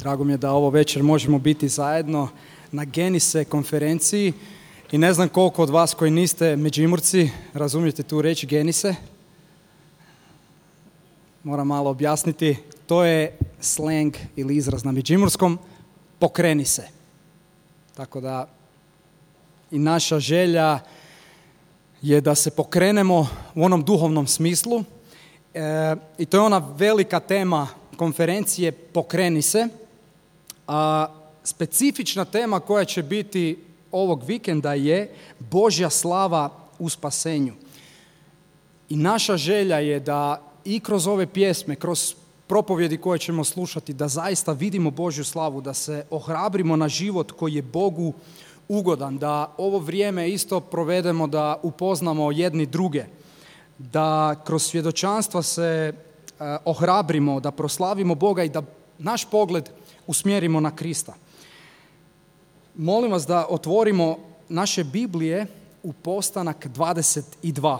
Drago mi je da ovo večer možemo biti zajedno na Genise konferenciji i ne znam koliko od vas koji niste Međimurci razumijete tu reč Genise. Moram malo objasniti. To je slang ili izraz na međimurskom pokreni se. Tako da i naša želja je da se pokrenemo u onom duhovnom smislu. I to je ona velika tema konferencije Pokreni se. A specifična tema koja će biti ovog vikenda je Božja slava u spasenju. I naša želja je da i kroz ove pjesme, kroz propovjedi koje ćemo slušati, da zaista vidimo Božju slavu, da se ohrabrimo na život koji je Bogu ugodan, da ovo vrijeme isto provedemo, da upoznamo jedni druge, da kroz svjedočanstva se ohrabrimo, da proslavimo Boga i da naš pogled usmjerimo na Krista. Molim vas da otvorimo naše Biblije u Postanak 22.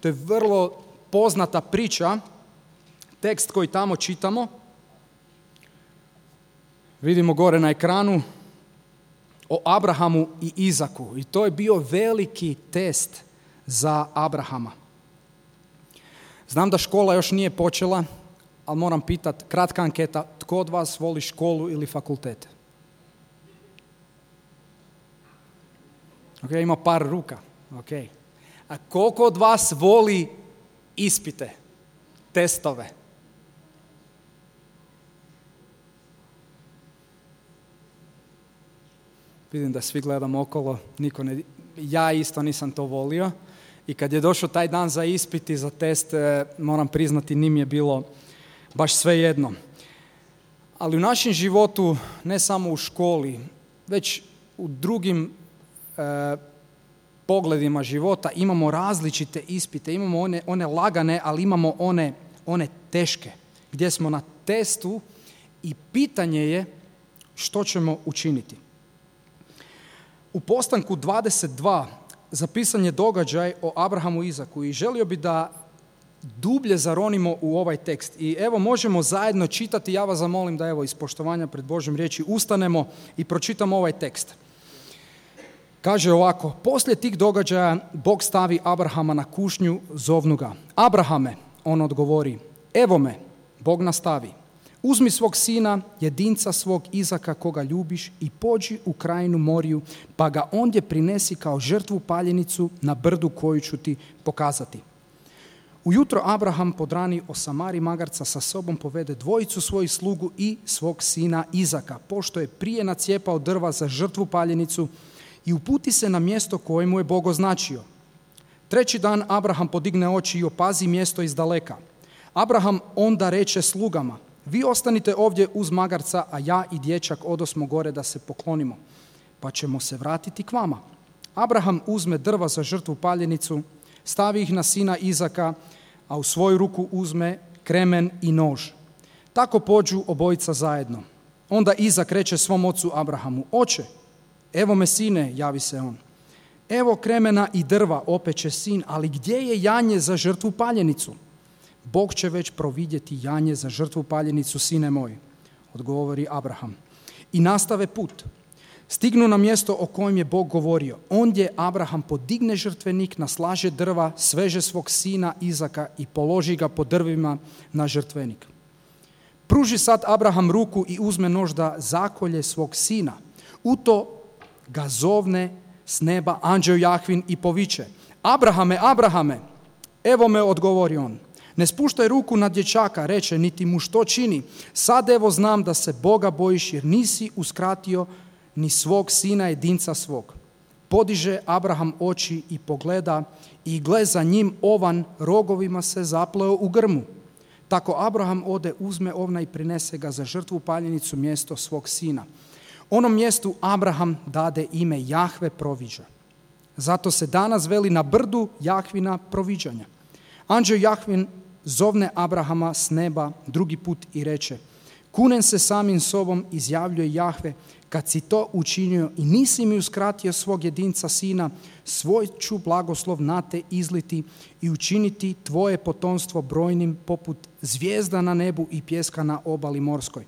To je vrlo poznata priča, tekst koji tamo čitamo. Vidimo gore na ekranu o Abrahamu i Izaku. I to je bio veliki test za Abrahama. Znam da škola još nije počela, ali moram pitati, kratka anketa, tko od vas voli školu ili fakultet? Ok, ima par ruka. Okay. A koliko od vas voli ispite, testove? Vidim da svi gledamo okolo, niko ne... Ja isto nisam to volio i kad je došao taj dan za ispit i za test, moram priznati, nije mi je bilo baš svejedno. Ali u našem životu, ne samo u školi, već u drugim pogledima života imamo različite ispite, imamo one lagane, ali imamo one teške, gdje smo na testu i pitanje je što ćemo učiniti. U Postanku 22 zapisan je događaj o Abrahamu i Izaku i želio bi da dublje zaronimo u ovaj tekst. I evo možemo zajedno čitati, ja vas zamolim da evo iz poštovanja pred Božjom riječi ustanemo i pročitamo ovaj tekst. Kaže ovako, poslije tih događaja Bog stavi Abrahama na kušnju, zovnu ga. Abrahame, on odgovori, evo me, Bog nastavi. Uzmi svog sina, jedinca svog Izaka koga ljubiš i pođi u krajinu Moriju, pa ga ondje prinesi kao žrtvu paljenicu na brdu koju ću ti pokazati. Ujutro Abraham podrani osamari magarca, sa sobom povede dvojicu svojih slugu i svog sina Izaka, pošto je prije nacijepao drva za žrtvu paljenicu, i uputi se na mjesto koje mu je Bog označio. Treći dan Abraham podigne oči i opazi mjesto iz daleka. Abraham onda reče slugama, vi ostanite ovdje uz magarca, a ja i dječak odosmo gore da se poklonimo, pa ćemo se vratiti k vama. Abraham uzme drva za žrtvu paljenicu, stavi ih na sina Izaka, a u svoju ruku uzme kremen i nož. Tako pođu obojica zajedno. Onda Izak reče svom ocu Abrahamu, oče, evo me sine, javi se on. Evo kremena i drva, opet će sin, ali gdje je janje za žrtvu paljenicu? Bog će već providjeti janje za žrtvu paljenicu, sine moj, odgovori Abraham. I nastave put. Stignu na mjesto o kojem je Bog govorio. Ondje Abraham podigne žrtvenik, naslaže drva, sveže svog sina Izaka i položi ga po drvima na žrtvenik. Pruži sad Abraham ruku i uzme nož da zakolje svog sina. U to ga zovne s neba anđeo Jahvin i poviče. Abrahame, Abrahame, evo me, odgovori on. Ne spuštaj ruku na dječaka, reče, niti mu što čini. Sad evo znam da se Boga bojiš jer nisi uskratio ni svog sina jedinca svog. Podiže Abraham oči i pogleda i gle za njim ovan rogovima se zapleo u grmu. Tako Abraham ode, uzme ovna i prinese ga za žrtvu paljenicu mjesto svog sina. Onom mjestu Abraham dade ime Jahve proviđa. Zato se danas veli na brdu Jahvina proviđanja. Anđeo Jahvin zovne Abrahama s neba drugi put i reče, kunem se samim sobom, izjavljuje Jahve, kad si to učinio i nisi mi uskratio svog jedinca sina, svoj ću blagoslov na te izliti i učiniti tvoje potomstvo brojnim poput zvijezda na nebu i pjeska na obali morskoj.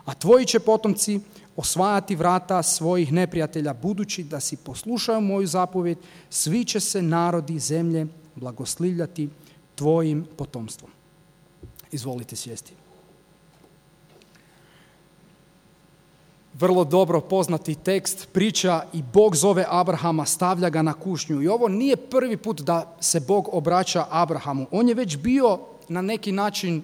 A tvoji će potomci osvajati vrata svojih neprijatelja, budući da si poslušao moju zapovjed, svi će se narodi zemlje blagoslivljati tvojim potomstvom. Izvolite sjesti. Vrlo dobro poznati tekst, priča i Bog zove Abrahama, stavlja ga na kušnju. I ovo nije prvi put da se Bog obraća Abrahamu. On je već bio na neki način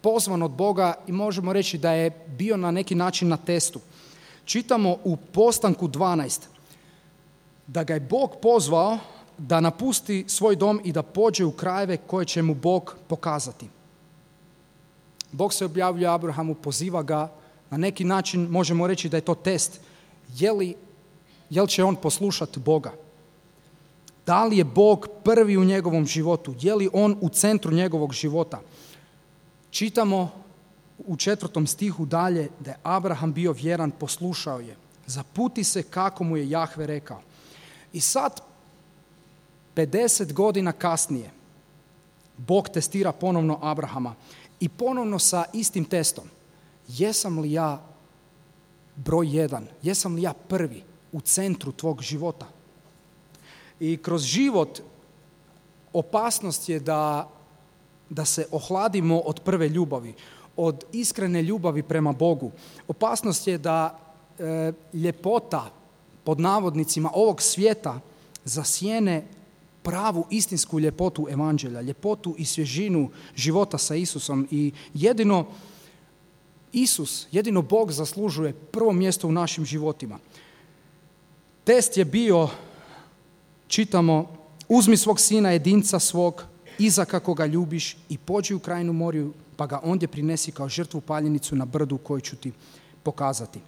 pozvan od Boga i možemo reći da je bio na neki način na testu. Čitamo u Postanku 12 da ga je Bog pozvao da napusti svoj dom i da pođe u krajeve koje će mu Bog pokazati. Bog se objavljuje Abrahamu, poziva ga, na neki način možemo reći da je to test. Je li će on poslušati Boga? Da li je Bog prvi u njegovom životu? Je li on u centru njegovog života? Čitamo u 4. stihu dalje da je Abraham bio vjeran, poslušao je. Zaputi se kako mu je Jahve rekao. I sad, 50 godina kasnije, Bog testira ponovno Abrahama i ponovno sa istim testom. Jesam li ja broj 1? Jesam li ja prvi u centru tvog života? I kroz život opasnost je da se ohladimo od prve ljubavi, od iskrene ljubavi prema Bogu. Opasnost je da ljepota, pod navodnicima, ovog svijeta zasjene pravu istinsku ljepotu evanđelja, ljepotu i svježinu života sa Isusom. I jedino Bog zaslužuje prvo mjesto u našim životima. Test je bio, čitamo, uzmi svog sina jedinca svog, Izaka koga ljubiš, i pođi u krajinu Moriju, pa ga ondje prinesi kao žrtvu paljenicu na brdu koju ću ti pokazati.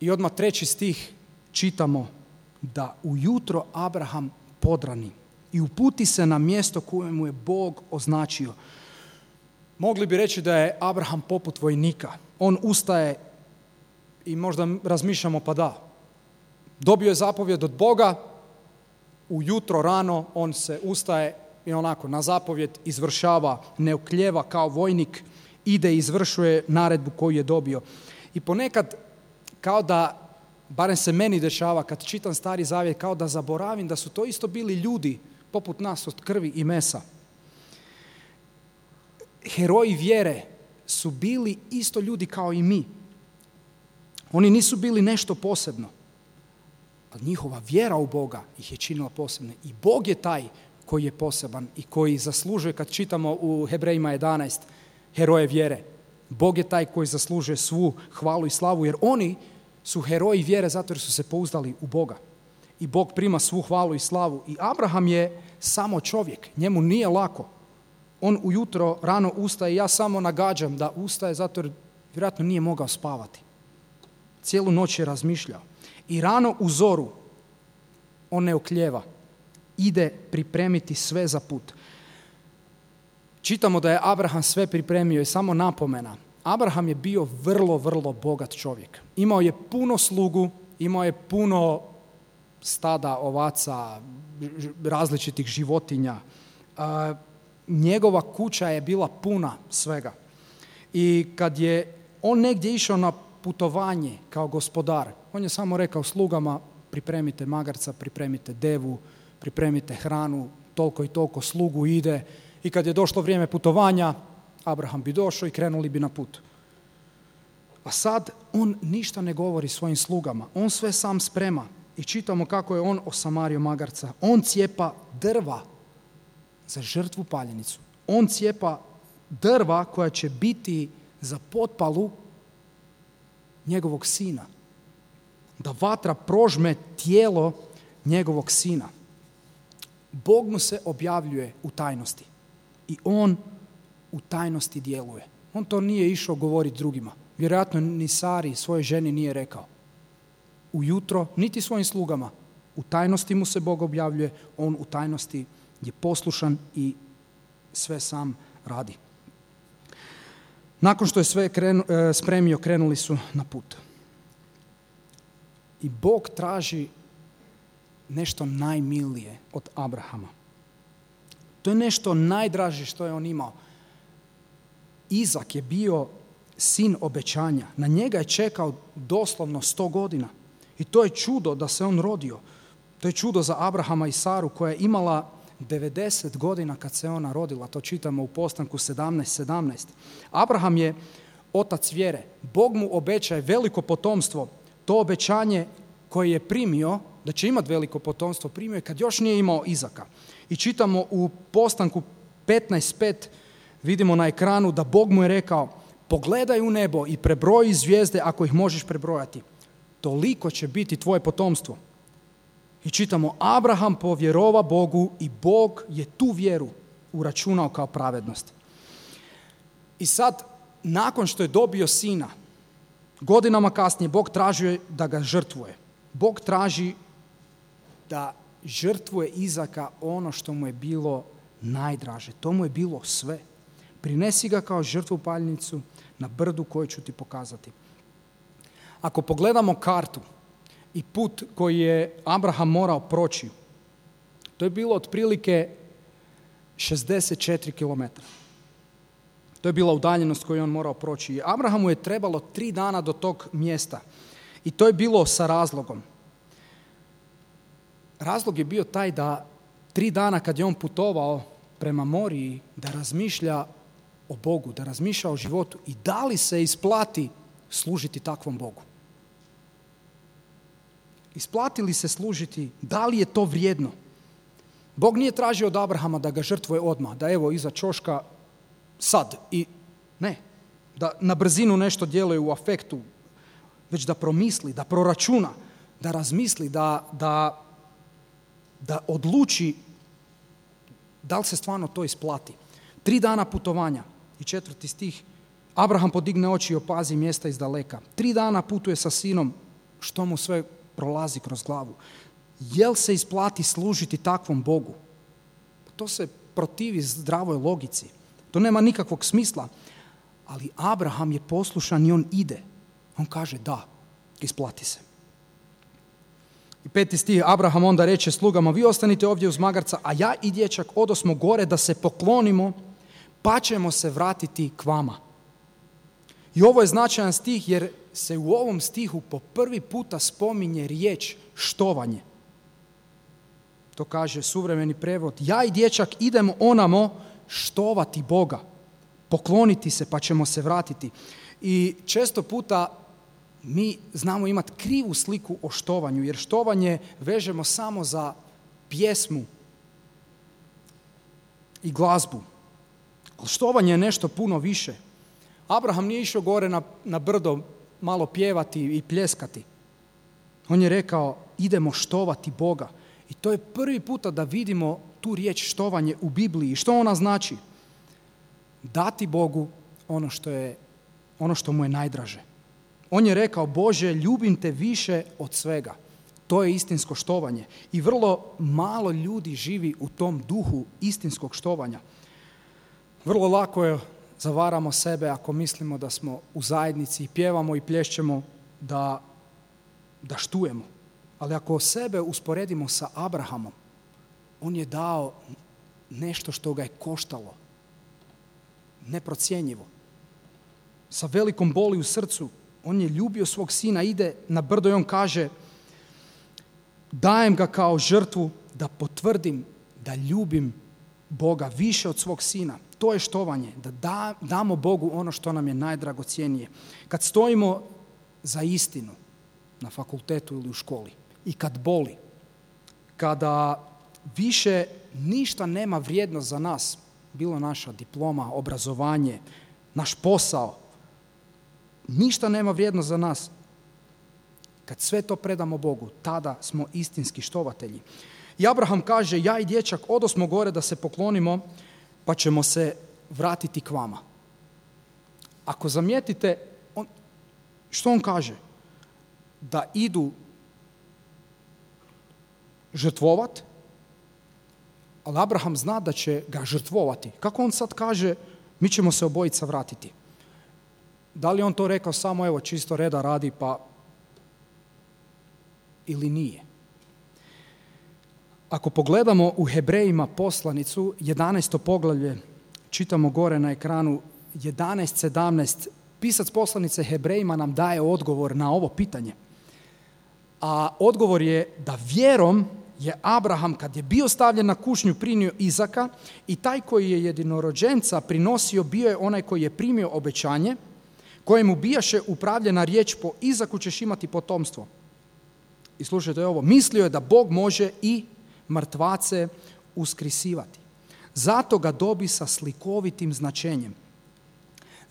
I odmah 3. stih čitamo da ujutro Abraham podrani i uputi se na mjesto koje mu je Bog označio. Mogli bi reći da je Abraham poput vojnika. On ustaje i možda razmišljamo, pa da, dobio je zapovjed od Boga, ujutro rano on se ustaje i onako na zapovjed izvršava, ne oklijeva kao vojnik, ide i izvršuje naredbu koju je dobio. I ponekad, kao da, barem se meni dešava kad čitam Stari Zavjet, kao da zaboravim da su to isto bili ljudi poput nas od krvi i mesa. Heroji vjere su bili isto ljudi kao i mi. Oni nisu bili nešto posebno, ali njihova vjera u Boga ih je činila posebne. I Bog je taj koji je poseban i koji zaslužuje, kad čitamo u Hebrejima 11, heroje vjere. Bog je taj koji zaslužuje svu hvalu i slavu, jer oni su heroji vjere zato jer su se pouzdali u Boga. I Bog prima svu hvalu i slavu. I Abraham je samo čovjek, njemu nije lako. On ujutro rano ustaje, ja samo nagađam da ustaje zato jer vjerojatno nije mogao spavati. Cijelu noć je razmišljao. I rano u zoru on ne oklijeva. Ide pripremiti sve za put. Čitamo da je Abraham sve pripremio i samo napomena. Abraham je bio vrlo, vrlo bogat čovjek. Imao je puno slugu, imao je puno stada, ovaca, različitih životinja. Njegova kuća je bila puna svega. I kad je on negdje išao na putovanje kao gospodar, on je samo rekao slugama, pripremite magarca, pripremite devu, pripremite hranu, toliko i toliko slugu ide. I kad je došlo vrijeme putovanja, Abraham bi došao i krenuli bi na put. A sad on ništa ne govori svojim slugama. On sve sam sprema. I čitamo kako je on osamario magarca. On cijepa drva za žrtvu paljenicu. On cijepa drva koja će biti za potpalu njegovog sina. Da vatra prožme tijelo njegovog sina. Bog mu se objavljuje u tajnosti. I on u tajnosti djeluje. On to nije išao govoriti drugima. Vjerojatno ni Sari, svojoj ženi, nije rekao. Ujutro, niti svojim slugama. U tajnosti mu se Bog objavljuje, on u tajnosti je poslušan i sve sam radi. Nakon što je sve spremio, krenuli su na put. I Bog traži nešto najmilije od Abrahama. To je nešto najdraže što je on imao. Izak je bio sin obećanja. Na njega je čekao doslovno 100 godina. I to je čudo da se on rodio. To je čudo za Abrahama i Saru koja je imala 90 godina kad se ona rodila. To čitamo u Postanku 17:17. Abraham je otac vjere. Bog mu obećaje veliko potomstvo. To obećanje koje je primio, da će imati veliko potomstvo, primio je kad još nije imao Izaka. I čitamo u Postanku 15:5, vidimo na ekranu da Bog mu je rekao: pogledaj u nebo i prebroji zvijezde ako ih možeš prebrojati. Toliko će biti tvoje potomstvo. I čitamo, Abraham povjerova Bogu i Bog je tu vjeru uračunao kao pravednost. I sad, nakon što je dobio sina, godinama kasnije Bog traži da ga žrtvuje. Bog traži da žrtvuje Izaka ono što mu je bilo najdraže. To mu je bilo sve. Prinesi ga kao žrtvu paljnicu na brdu koju ću ti pokazati. Ako pogledamo kartu i put koji je Abraham morao proći, to je bilo otprilike 64 km. To je bila udaljenost koju je on morao proći. Abrahamu je trebalo 3 dana do tog mjesta. I to je bilo sa razlogom. Razlog je bio taj da 3 dana kad je on putovao prema Moriji, da razmišlja o Bogu, da razmišlja o životu i da li se isplati služiti takvom Bogu. Isplati li se služiti, da li je to vrijedno? Bog nije tražio od Abrahama da ga žrtvuje odmah, da evo iza ćoška sad i ne, da na brzinu nešto djeluje u afektu, već da promisli, da proračuna, da razmisli, da odluči da li se stvarno to isplati. 3 dana putovanja i 4. stih. Abraham podigne oči i opazi mjesta iz daleka. 3 dana putuje sa sinom, što mu sve prolazi kroz glavu. Jel se isplati služiti takvom Bogu? To se protivi zdravoj logici. To nema nikakvog smisla. Ali Abraham je poslušan i on ide. On kaže da, isplati se. I 5. stih, Abraham onda reče slugama: vi ostanite ovdje uz magarca, a ja i dječak odosmo gore da se poklonimo, pa ćemo se vratiti k vama. I ovo je značajan stih jer se u ovom stihu po prvi puta spominje riječ štovanje. To kaže suvremeni prevod: ja i dječak idemo onamo štovati Boga, pokloniti se pa ćemo se vratiti. I često puta mi znamo imati krivu sliku o štovanju, jer štovanje vežemo samo za pjesmu i glazbu. Ali štovanje je nešto puno više. Abraham nije išao gore na brdo malo pjevati i pljeskati. On je rekao: idemo štovati Boga. I to je prvi puta da vidimo tu riječ štovanje u Bibliji. Što ona znači? Dati Bogu ono što mu je najdraže. On je rekao: Bože, ljubim te više od svega. To je istinsko štovanje. I vrlo malo ljudi živi u tom duhu istinskog štovanja. Vrlo lako je zavaramo sebe ako mislimo da smo u zajednici i pjevamo i plješćemo da štujemo. Ali ako sebe usporedimo sa Abrahamom, on je dao nešto što ga je koštalo. Neprocjenjivo. Sa velikom boli u srcu, on je ljubio svog sina, ide na brdo i on kaže: dajem ga kao žrtvu da potvrdim da ljubim Boga više od svog sina. To je štovanje, da damo Bogu ono što nam je najdragocjenije. Kad stojimo za istinu na fakultetu ili u školi i kad boli, kada više ništa nema vrijednost za nas, bilo naša diploma, obrazovanje, naš posao, ništa nema vrijednost za nas. Kad sve to predamo Bogu, tada smo istinski štovatelji. I Abraham kaže: ja i dječak odosmo gore da se poklonimo, pa ćemo se vratiti k vama. Ako zamijetite, što on kaže? Da idu žrtvovat, ali Abraham zna da će ga žrtvovati. Kako on sad kaže: mi ćemo se obojica vratiti? Da li on to rekao samo evo čisto reda radi pa ili nije? Ako pogledamo u Hebrejima poslanicu, 11. poglavlje, čitamo gore na ekranu 11:17, Pisac poslanice Hebrejima nam daje odgovor na ovo pitanje. A odgovor je da vjerom je Abraham, kad je bio stavljen na kušnju, primio Izaka, i taj koji je jedinorođenca prinosio bio je onaj koji je primio obećanje, kojemu bijaše upravljena riječ: po Izaku ćeš imati potomstvo. I slušajte ovo, mislio je da Bog može i mrtvace uskrisivati. Zato ga dobi sa slikovitim značenjem.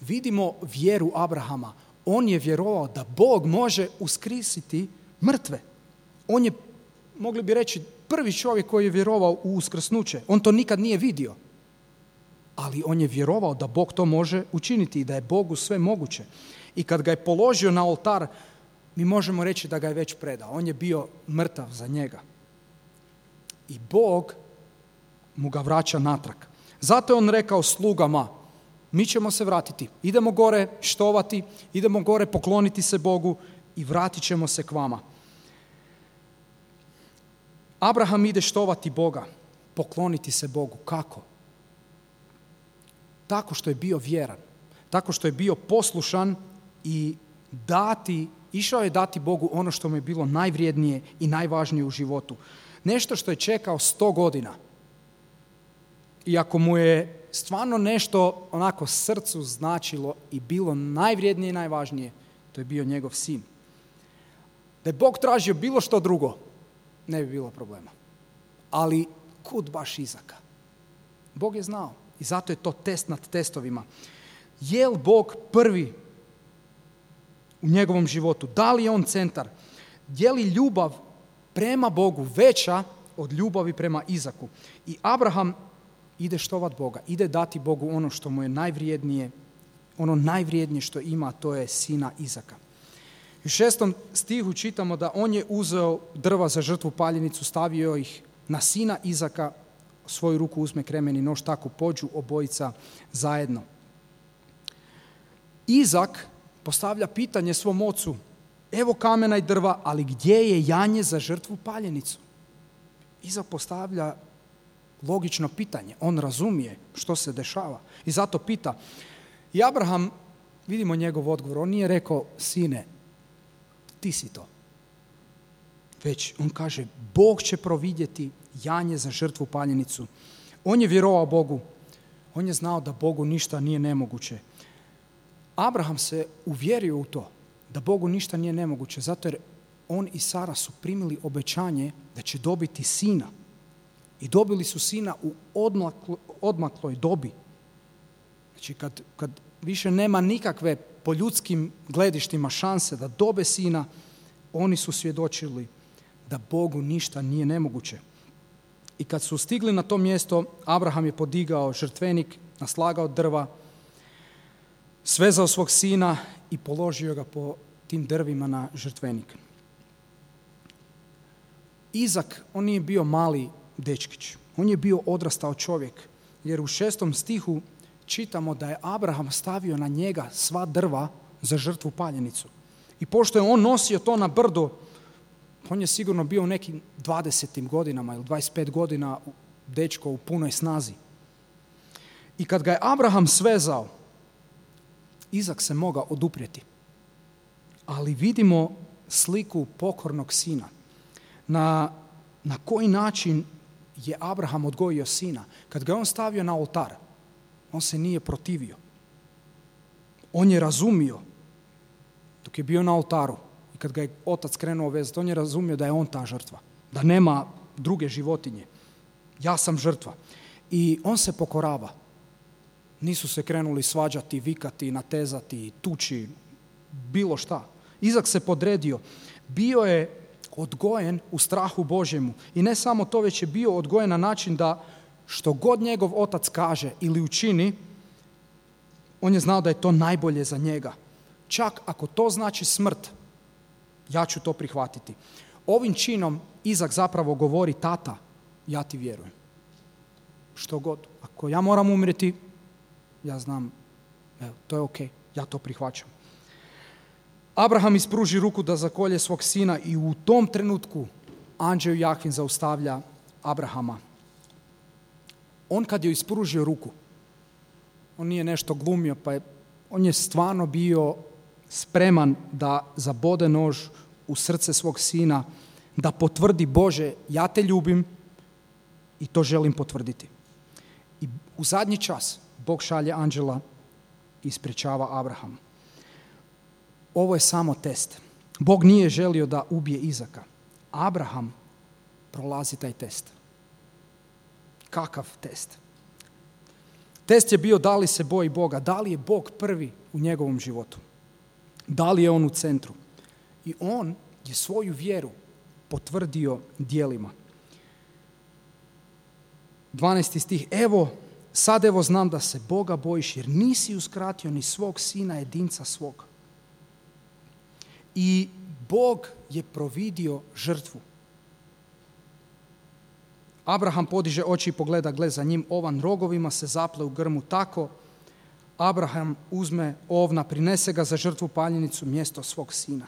Vidimo vjeru Abrahama. On je vjerovao da Bog može uskrisiti mrtve. On je, mogli bi reći, prvi čovjek koji je vjerovao u uskrsnuće. On to nikad nije vidio. Ali on je vjerovao da Bog to može učiniti i da je Bogu sve moguće. I kad ga je položio na oltar, mi možemo reći da ga je već predao. On je bio mrtav za njega. I Bog mu ga vraća natrag. Zato je on rekao slugama: mi ćemo se vratiti. Idemo gore štovati, idemo gore pokloniti se Bogu i vratit ćemo se k vama. Abraham ide štovati Boga, pokloniti se Bogu. Kako? Tako što je bio vjeran, tako što je bio poslušan i išao je dati Bogu ono što mu je bilo najvrijednije i najvažnije u životu. Nešto što je čekao 100 godina. I ako mu je stvarno nešto onako srcu značilo i bilo najvrijednije i najvažnije, to je bio njegov sin. Da je Bog tražio bilo što drugo, ne bi bilo problema. Ali kud baš Izaka? Bog je znao i zato je to test nad testovima. Je li Bog prvi u njegovom životu? Da li je on centar? Je li ljubav prema Bogu veća od ljubavi prema Izaku? I Abraham ide štovat Boga, ide dati Bogu ono što mu je najvrijednije, ono najvrijednije što ima, to je sina Izaka. U 6. stihu čitamo da on je uzeo drva za žrtvu paljenicu, stavio ih na sina Izaka, svoju ruku uzme kremen i nož, tako pođu obojica zajedno. Izak postavlja pitanje svom ocu: evo kamena i drva, ali gdje je janje za žrtvu paljenicu? Izak postavlja logično pitanje. On razumije što se dešava i zato pita. I Abraham, vidimo njegov odgovor, on nije rekao: sine, ti si to. Već on kaže: Bog će providjeti janje za žrtvu paljenicu. On je vjerovao Bogu. On je znao da Bogu ništa nije nemoguće. Abraham se uvjerio u to da Bogu ništa nije nemoguće, zato jer on i Sara su primili obećanje da će dobiti sina. I dobili su sina u odmakloj dobi. Znači kad više nema nikakve po ljudskim gledištima šanse da dobe sina, oni su svjedočili da Bogu ništa nije nemoguće. I kad su stigli na to mjesto, Abraham je podigao žrtvenik, naslagao drva, svezao svog sina i položio ga po tim drvima na žrtvenik. Izak, on nije bio mali dečkić, on je bio odrastao čovjek, jer u 6. stihu čitamo da je Abraham stavio na njega sva drva za žrtvu paljenicu. I pošto je on nosio to na brdo, on je sigurno bio u nekim 20. godinama ili 25 godina dečko u punoj snazi. I kad ga je Abraham svezao, Izak se mogao oduprijeti. Ali vidimo sliku pokornog sina. Na koji način je Abraham odgojio sina? Kad ga je on stavio na oltar, on se nije protivio. On je razumio dok je bio na oltaru i kad ga je otac krenuo vezati, on je razumio da je on ta žrtva, da nema druge životinje. Ja sam žrtva. I on se pokorava. Nisu se krenuli svađati, vikati, natezati, tući, bilo šta. Izak se podredio. Bio je odgojen u strahu Božjemu. I ne samo to, već je bio odgojen na način da što god njegov otac kaže ili učini, on je znao da je to najbolje za njega. Čak ako to znači smrt, ja ću to prihvatiti. Ovim činom Izak zapravo govori: tata, ja ti vjerujem. Što god. Ako ja moram umrijeti, ja znam, evo, to je ok, ja to prihvaćam. Abraham ispruži ruku da zakolje svog sina i u tom trenutku anđeo Jahvin zaustavlja Abrahama. On kad je ispružio ruku, on nije nešto glumio pa je On je stvarno bio spreman da zabode nož u srce svog sina, da potvrdi Bože, ja te ljubim i to želim potvrditi. I u zadnji čas Bog šalje anđela i sprječava Abrahama. Ovo je samo test. Bog nije želio da ubije Izaka. Abraham prolazi taj test. Kakav test? Test je bio da li se boji Boga, da li je Bog prvi u njegovom životu. Da li je on u centru. I on je svoju vjeru potvrdio djelima. 12. stih. Sad znam da se Boga bojiš jer nisi uskratio ni svog sina jedinca svog. I Bog je providio žrtvu. Abraham podiže oči i pogleda, gle za njim ovan rogovima se zaple u grmu tako. Abraham uzme ovna, prinese ga za žrtvu paljenicu mjesto svog sina.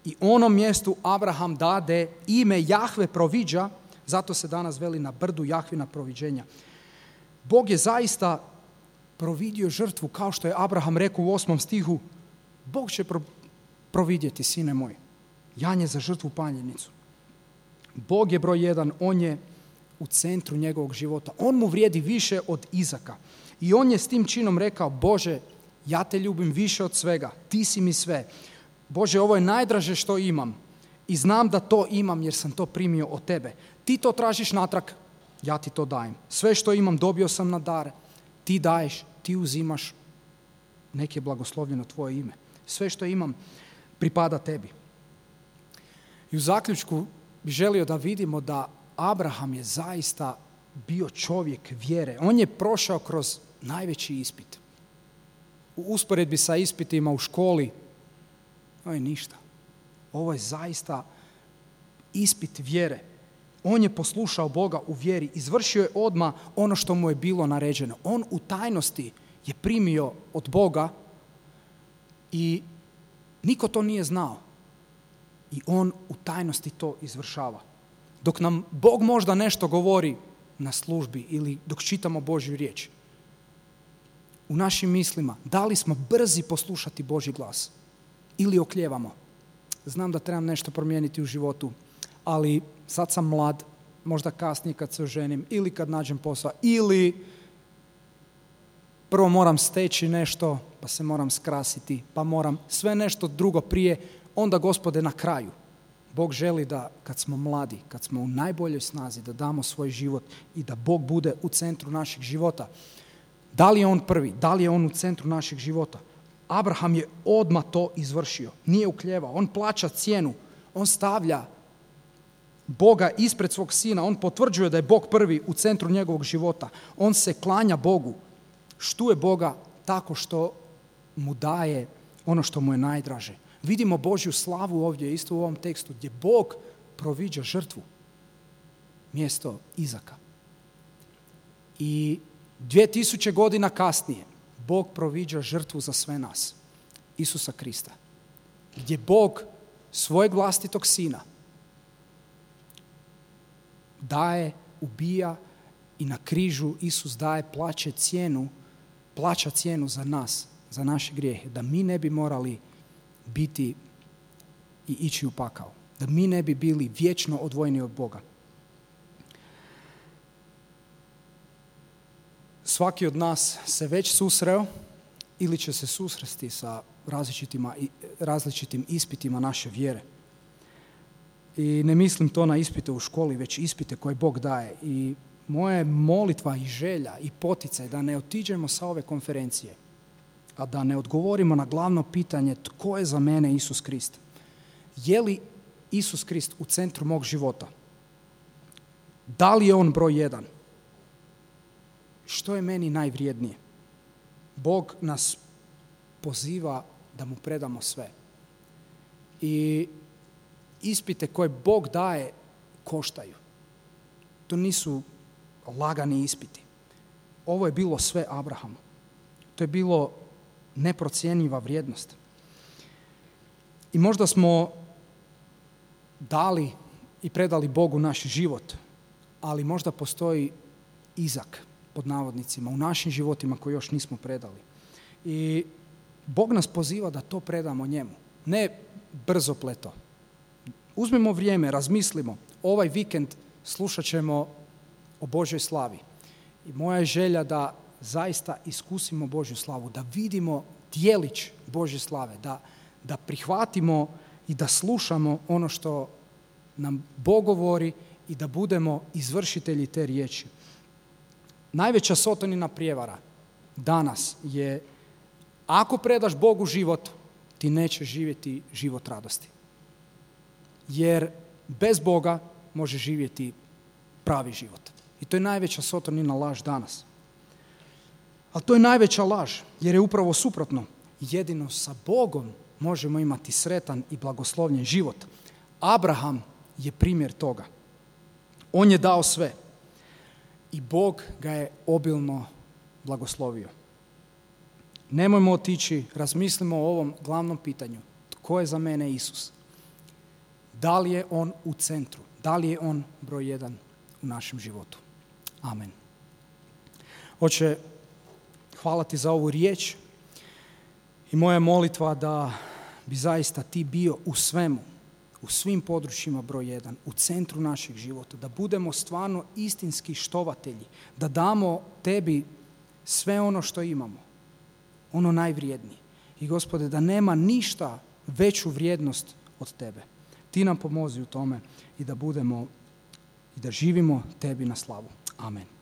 I onom mjestu Abraham dade ime Jahve proviđa, zato se danas veli na brdu Jahvina proviđenja. Bog je zaista providio žrtvu, kao što je Abraham rekao u 8. stihu, Bog će providjeti, sine moj, janje za žrtvu paljenicu. Bog je broj 1, on je u centru njegovog života. On mu vrijedi više od Izaka. I on je s tim činom rekao, Bože, ja te ljubim više od svega, ti si mi sve. Bože, ovo je najdraže što imam i znam da to imam jer sam to primio od tebe. Ti to tražiš natrag, ja ti to dajem. Sve što imam dobio sam na dar, ti daješ, ti uzimaš, nek je blagoslovljeno tvoje ime. Sve što imam pripada tebi. I u zaključku bih želio da vidimo da Abraham je zaista bio čovjek vjere. On je prošao kroz najveći ispit. U usporedbi sa ispitima u školi, ovo je ništa. Ovo je zaista ispit vjere. On je poslušao Boga u vjeri, izvršio je odmah ono što mu je bilo naređeno. On u tajnosti je primio od Boga i niko to nije znao. I on u tajnosti to izvršava. Dok nam Bog možda nešto govori na službi ili dok čitamo Božju riječ, u našim mislima, da li smo brzi poslušati Božji glas ili oklijevamo? Znam da trebam nešto promijeniti u životu, ali sad sam mlad, možda kasnije kad se oženim ili kad nađem posao, ili prvo moram steći nešto, pa se moram skrasiti, pa moram sve nešto drugo prije, onda Gospode na kraju. Bog želi da kad smo mladi, kad smo u najboljoj snazi, da damo svoj život i da Bog bude u centru našeg života. Da li je on prvi? Da li je on u centru našeg života? Abraham je odmah to izvršio. Nije uklijevao. On plaća cijenu. On stavlja Boga ispred svog sina. On potvrđuje da je Bog prvi u centru njegovog života. On se klanja Bogu. Štuje Boga tako što mu daje ono što mu je najdraže. Vidimo Božju slavu ovdje, isto u ovom tekstu, gdje Bog proviđa žrtvu mjesto Izaka. I 2000 godina kasnije Bog proviđa žrtvu za sve nas, Isusa Krista, gdje Bog svojeg vlastitog sina daje, ubija i na križu Isus daje, plaća cijenu za nas, za naše grijehe, da mi ne bi morali biti i ići u pakao, da mi ne bi bili vječno odvojeni od Boga. Svaki od nas se već susreo ili će se susresti sa različitim ispitima naše vjere. I ne mislim to na ispite u školi, već ispite koje Bog daje. I moja molitva i želja i poticaj da ne otiđemo sa ove konferencije, a da ne odgovorimo na glavno pitanje tko je za mene Isus Krist. Je li Isus Krist u centru mog života? Da li je on broj 1? Što je meni najvrijednije? Bog nas poziva da mu predamo sve. I ispite koje Bog daje koštaju. To nisu lagani ispiti. Ovo je bilo sve Abrahamu. To je bilo neprocjenjiva vrijednost. I možda smo dali i predali Bogu naš život, ali možda postoji Izak, pod navodnicima, u našim životima koji još nismo predali. I Bog nas poziva da to predamo njemu. Ne brzopleto. Uzmimo vrijeme, razmislimo. Ovaj vikend slušat ćemo o Božoj slavi. I moja je želja da zaista iskusimo Božju slavu, da vidimo djelić Božje slave, da prihvatimo i da slušamo ono što nam Bog govori i da budemo izvršitelji te riječi. Najveća sotonina prijevara danas je, ako predaš Bogu život, ti nećeš živjeti život radosti. Jer bez Boga može živjeti pravi život. I to je najveća sotonina laž danas. Ali to je najveća laž, jer je upravo suprotno. Jedino sa Bogom možemo imati sretan i blagoslovljen život. Abraham je primjer toga. On je dao sve i Bog ga je obilno blagoslovio. Nemojmo otići, razmislimo o ovom glavnom pitanju. Tko je za mene Isus? Da li je on u centru? Da li je on broj 1 u našem životu? Amen. Oče, hvala ti za ovu riječ i moja je molitva da bi zaista ti bio u svemu, u svim područjima broj 1, u centru našeg života, da budemo stvarno istinski štovatelji, da damo tebi sve ono što imamo, ono najvrijednije. I Gospode, da nema ništa veću vrijednost od tebe. Ti nam pomozi u tome i da budemo i da živimo tebi na slavu. Amen.